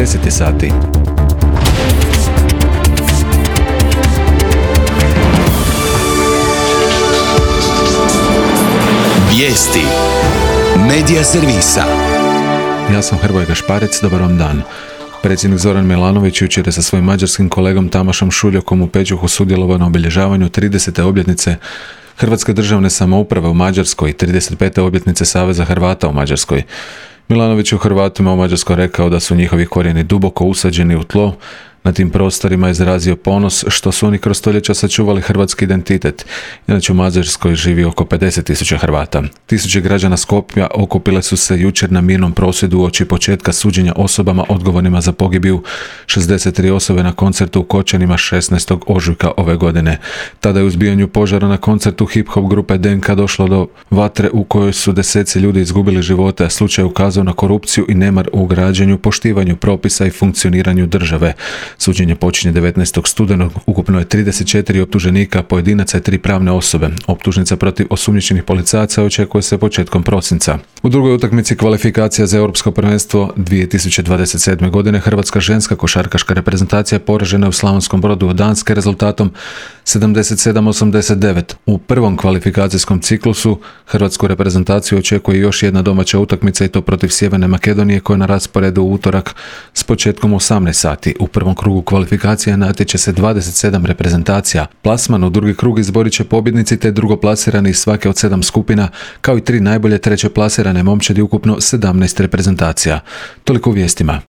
10 sati. Vijesti Medija servisa. Ja sam Hrvoje Gašparec, dobar vam dan. Predsjednik Zoran Milanović jučer je sa svojim mađarskim kolegom Tamašom Šuljakom u Pećuhu sudjelovao na obilježavanju 30. obljetnice Hrvatske državne samouprave u Mađarskoj i 35. obljetnice Saveza Hrvata u Mađarskoj. Milanović je Hrvatima u Mađarskoj rekao da su njihovi korijeni duboko usađeni u tlo. Na tim prostorima izrazio ponos što su oni kroz stoljeća sačuvali hrvatski identitet. Inače u Mađarskoj živi oko 50.000 Hrvata. Tisuće građana Skopja okupile su se jučer na mirnom prosvjedu uoči početka suđenja osobama odgovornima za pogibiju 63 osobe na koncertu u Kočanima 16. ožujka ove godine. Tada je u izbijanju požara na koncertu hip-hop grupe DNK došlo do vatre u kojoj su deseci ljudi izgubili živote, a slučaj ukazao na korupciju i nemar u građenju, poštivanju propisa i funkcioniranju države. Suđenje počinje 19. studenog, ukupno je 34 optuženika, pojedinaca i 3 pravne osobe. Optužnica protiv osumnjičenih policajaca očekuje se početkom prosinca. U drugoj utakmici kvalifikacija za Europsko prvenstvo 2027. godine hrvatska ženska košarkaška reprezentacija poražena je u Slavonskom Brodu od Danske rezultatom 77-89. U prvom kvalifikacijskom ciklusu hrvatsku reprezentaciju očekuje još jedna domaća utakmica i to protiv Sjeverne Makedonije koja je na rasporedu u utorak s početkom 18 sati. U prvom krugu kvalifikacija natječe se 27 reprezentacija. Plasman u drugi krug izborit će pobjednici te drugoplasirani iz svake od 7 skupina, kao i 3 najbolje treće plasirane momčadi, ukupno 17 reprezentacija. Toliko u vijestima.